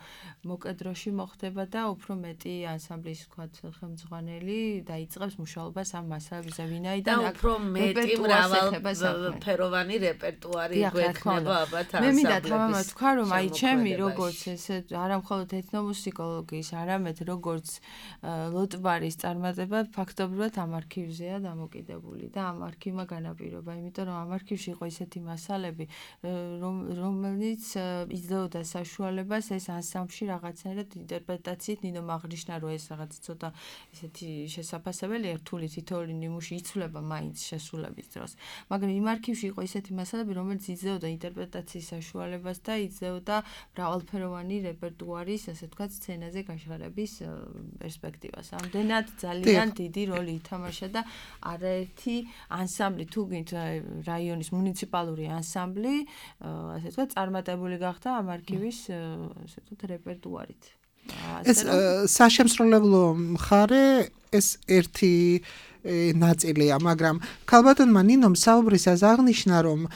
მოკედროში მოხდება და უფრო მეტი ანსამბლის თქვათ ხელმძღვანელი დაიწყებს მუშაობას ამ მასალებზე, ვინაიდან აქ უფრო მეტი მრავალფეროვანი რეპერტუარი გვექნება ალბათ ანსამბლებში. მე მინდა თამამად თქვა, რომ აი ჩემი როგორც ესე არა მხოლოდ ეთნომუსიკოლოგიის, არამედ როგორც ლოტბარის წარმატება ფაქტობრივად ამ არქივზეა დამოკიდებული და ამ არქივმა განაპირობა, იმიტომ რომ ამ არქივში იყო ისეთი მასალები, რომელიც იძლეოდა საშუალებას ეს ანსამბლში რაღაცნაირად ინტერპრეტაციით ნინო აღნიშნა, რომ ეს რაღაც ცოტა ისეთი შესაძლებელია, რთული თითოეული ნიმუში იცვლება მაინც შესრულების დროს. მაგრამ იმ არქივში იყო ისეთი მასალები, რომელიც იძლეოდა ინტერპრეტაციის საშუალებას და იძლეოდა მრავალფეროვანი რეპერტუარის, ასე ვთქვათ, სცენაზე გაშღალების პერსპექტივას. ამდენად ძალიან დიდი როლი ითამაშა და არაერთი ანსამბლი, თუ გინდ რაიონის მუნიციპალური ანსამბლი, ასე ვთქვათ, წარმატებული გახდა ამ არქივის, ასე ვთქვათ, რეპერტუარით. ეს საშემსრულებლო მხარე ეს ერთი ნაწილია, მაგრამ ქალბატონმა ნინომ საუბრისას აღნიშნა, რომ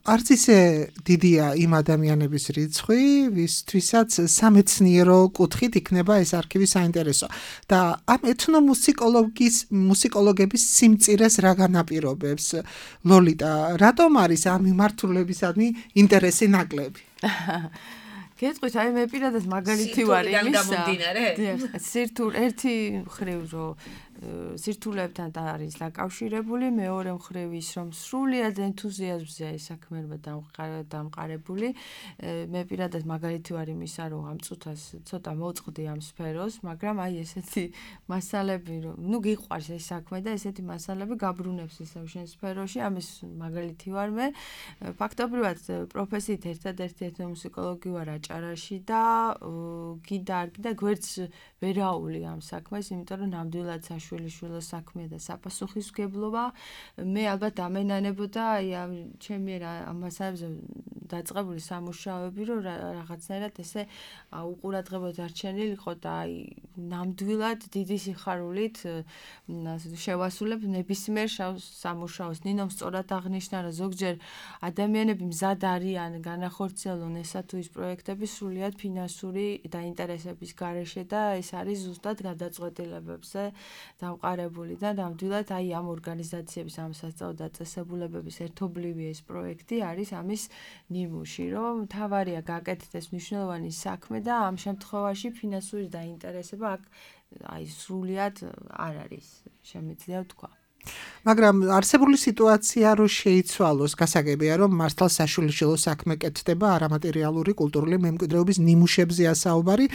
არც ისე დიდია იმ ადამიანების რიცხვი, ვისთვისაც სამეცნიერო კუთხით იქნება ეს არქივი საინტერესო. და ამ ეთნომუსიკოლოგების სიმწირეს რა განაპირობებს? ლოლიტა, რატომ არის ამ მიმართულებისადმი ინტერესი ნაკლები? გეტყვით, აი მე პირადად მაგალითი ვარ იმისა. სირთულ ერთი მხრივ რომ სირთულებთან არის დაკავშირებული, მეორე მხრივ ის რომ სრულიად ენთუზიაზმზეა ეს საქმიანობა დამყარებული. მე პირადად მაგალითი ვარ იმისა, რომ ამ წუთას ცოტა მოვწყდი ამ სფეროს, მაგრამ აი ესეთი მასალები, რომ ნუ გიყვარს ეს საქმე და ესეთი მასალები გაბრუნებს ისევ შენ სფეროში, ამის მაგალითი ვარ მე. ფაქტობრივად პროფესიით ერთადერთი ეთნომუსიკოლოგი ვარ აჭარაში და გინდა არ გინდა გვერდს ვერაული ამ საქმეს, იმიტომ რომ ნამდვილად შვილიშვილო საქმეა და საპასუხისმგებლობა. მე ალბათ ამენანებოდა აი ამ ჩემი ამ მასალებზე დაწყებული სამუშაოები, რომ რაღაცნაირად ესე უყურადღებოდ არჩენილიყო და აი ნამდვილად დიდი სიხარულით შევასრულებ ნებისმიერ სამუშაოს. ნინომ სწორად აღნიშნა, რომ ზოგჯერ ადამიანები მზად არიან განახორციელონ ესა თუ ის პროექტები სრულიად ფინანსური დაინტერესების გარეშე და ეს არის ზუსტად გადაწყვეტილებებზე დამყარებული და ნამდვილად აი ამ ორგანიზაციების ამ სასწავლო დაწესებულებების ერთობლივი ეს პროექტი არის ამის ნიმუში, რომ მთავარია გაკეთდეს მნიშვნელოვანი საქმე და ამ შემთხვევაში ფინანსური დაინტერესება აქ აი სრულიად არ არის, შემიძლია ვთქვა. მაგრამ არსებული სიტუაცია რო შეიცვალოს, გასაგებია რომ მართლა საშვილიშვილო საქმე კეთდება არამატერიალური კულტურული მემკვიდრეობის ნიმუშებზეა საუბარი,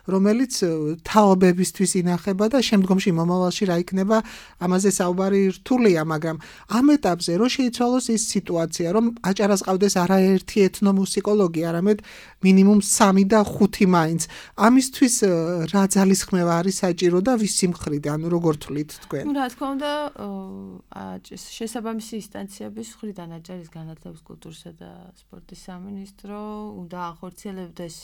რომელიც თაობებისთვის ინახება და შემდგომში მომავალში რა იქნება, ამაზე საუბარი რთულია, მაგრამ ამ ეტაპზე რო შეიცვალოს ის სიტუაცია, რომ აჭარას ყავდეს არაერთი ეთნომუსიკოლოგი, არამედ მინიმუმ 3 და 5 მაინც. ამისთვის რა ძალისხმევა არის საჭირო და ვისი მხრიდან, როგორ თვლით თქვენ? რა თქმა უნდა, შესაბამისი ინსტანციების მხრიდან აჭარის განათლების, კულტურისა და სპორტის სამინისტრო უნდა ახორციელებდეს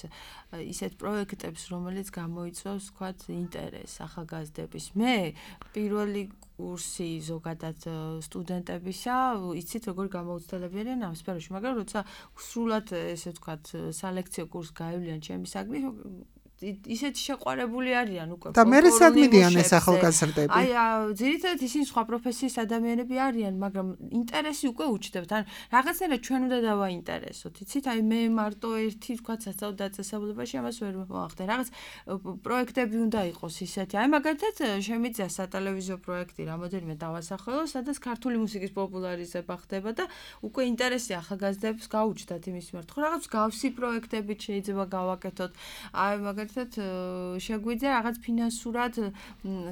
ისეთ პროექტებს, რომელიც გამოიწვევს, ვთქვათ, ინტერესს ახალგაზრდების. მე პირველი კურსი ზოგადად სტუდენტებისა, იცით როგორ გამოუცდელებიან ამ სფეროში, მაგრამ როცა სრულად ესე ვთქვათ, სალექციო კურსს გაივლიან ჩემი საგნის ისეთი შეყვარებული არიან უკვე. და მე სადმიდიან ეს ახალგაზრდები? აი, ძირითადად ისინი სხვა პროფესიის ადამიანები არიან, მაგრამ ინტერესი უკვე უჩნდებთ. ან რაღაცნაირად ჩვენ უნდა დავაინტერესოთ. იცით, აი მე მარტო ერთი თქვა სასწავლო დაწესებულებაში ამას ვერ მოახდე. რაღაც პროექტები უნდა იყოს ისეთი. აი მაგალითად შემიძლია სატელევიზიო პროექტი რამოდენიმე დავასახელო, სადაც ქართული მუსიკის პოპულარიზება ხდება და უკვე ინტერესი ახალგაზრდებს გაუჩნდათ იმის მიმართ. ხო, რაღაც გავსი პროექტები შეიძლება გავაკეთოთ. აი მაგალითად შეგვიძლია რაღაც ფინანსურად,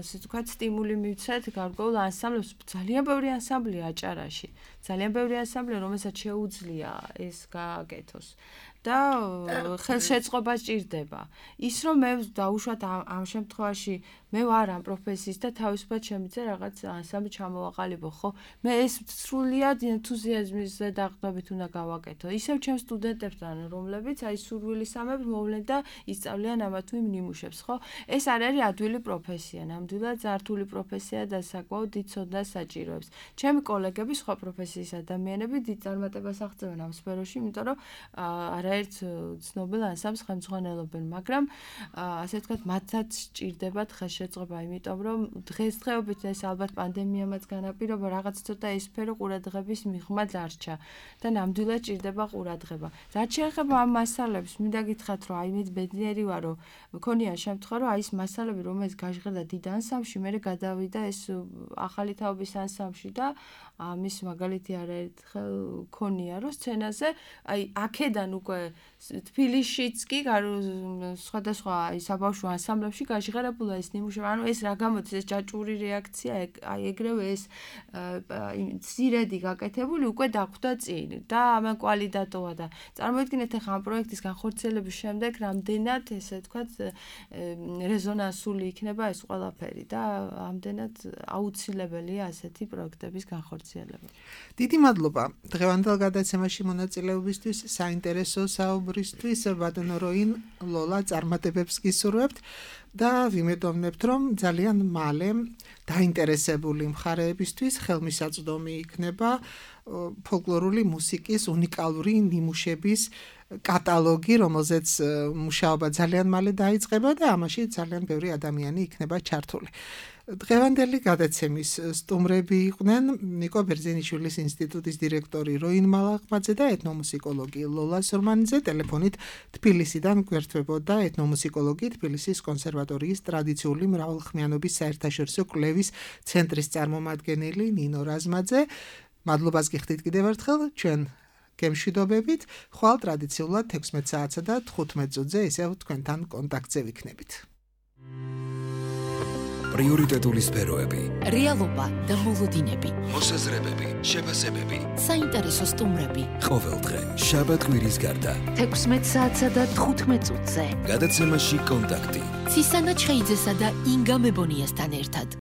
ასე ვთქვათ, სტიმული მივცეთ გარკვეულ ანსამბლებს. ძალიან ბევრი ანსამბლია აჭარაში. ძალიან ბევრი ანსამბლია, რომელსაც შეუძლია ეს გააკეთოს. და ხელშეწყობა სჭირდება. ის რომ მე დაუშვათ ამ შემთხვევაში მე ვარ ამ პროფესიის და თავისუფლად შემიძლია რაღაც ანსამბლი ჩამოვაყალიბო, ხო? მე ეს სრულიად ენთუზიაზმის ზედაღწობით უნდა გავაკეთო. ისევ ჩემ სტუდენტებთან, რომლებიც აი სურვილისამებრ მოვლენ და ისწავლიან ამა თუ იმ ნიმუშებს, ხო? ეს არ არის ადვილი პროფესია, ნამდვილად ზართული პროფესია და საკმაოდ დიდ ცოდნას საჭიროებს. ჩემი კოლეგები სხვა პროფესიის ადამიანები დიდ წარმატებას აღწევენ ამ სფეროში, იმიტომ რომ არაერთ ცნობილ ანსამბლს ხელმძღვანელობენ, მაგრამ ასე ვთქვათ, მათაც სჭირდებათ ხელშეწყობა, იმიტომ რომ დღესდღეობით ეს ალბათ პანდემიამაც განაპირობა, რაღაც ცოტა ეს სფერო ყურადღების მიღმა დარჩა და ნამდვილად სჭირდება ყურადღება. რაც შეეხება ამ მასალებს, მინდა გითხრათ, რომ აი მე ბედნიერი ვარ, რომ მქონია შემთხვევა, რომ აი ეს მასალები, რომელიც გაჟღერდა დიდ ანსამბლში, მე გადავიდა ეს ახალი თაობის ანსამბლში და ამის მაგალითი არაერთხელ ქონია, რომ სცენაზე აი აქედან უკვე თბილისშიც კი სხვადასხვა აი საბავშვო ანსამბლებში გაჟღერებულა ეს ნიმუშები, ანუ ეს რა გამოდის ეს ჯაჭვური რეაქცია, აი ეგრევე ეს სირედი გაკეთებული უკვე დახვდა წინ და ამან კვალი დატოვა და წარმოიდგინეთ ახლა ამ პროექტის განხორციელების შემდეგ რამდენად ესე ვთქვათ რეზონანსული იქნება ეს ყველაფერი და ამდენად აუცილებელია ასეთი პროექტების განხორციელება. დიდი მადლობა დღევანდელ გადაცემაში მონაწილეობისთვის, საინტერესო საუბრისთვის. ბატონო როინ ლოლა წარმატებებს გისურვებთ და ვიმედოვნებთ, რომ ძალიან მალე დაინტერესებული მხარეებისთვის ხელმისაწვდომი იქნება ფოლკლორული მუსიკის უნიკალური ნიმუშების კატალოგი, რომელზეც მუშაობა ძალიან მალე დაიწყება და ამაში ძალიან ბევრი ადამიანი იქნება ჩართული. დღევანდელი გადაცემის სტუმრები იყვნენ ნიკო ბერძენიშვილის ინსტიტუტის დირექტორი როინ მალაღმაძე და ეთნომუსიკოლოგი ლოლა სურმანიძე. ტელეფონით თბილისიდან გვერდებოდა ეთნომუსიკოლოგი, თბილისის კონსერვატორიის ტრადიციული მრავალხმიანობის საერთაშორისო კვლევის ცენტრის წარმომადგენელი ნინო რაზმაძე. მადლობას გიხდით კიდევ ერთხელ, ჩვენ გემშვიდობებით, ხვალ ტრადიციულად 16 საათსა და 15 წუთზე ისევ თქვენთან კონტაქტზე ვიქნებით. პრიორიტეტული სფეროები, რეალობა და მოლოდინები, მოსაზრებები, შეფასებები, საინტერესო სტუმრები. ყოველდღე, შაბათ-კვირის გარდა. 16 საათსა და 15 წუთზე. გადაცემაში კონტაქტი. ცისანა ჩხეიძესა და ინგა მებონიასთან ერთად.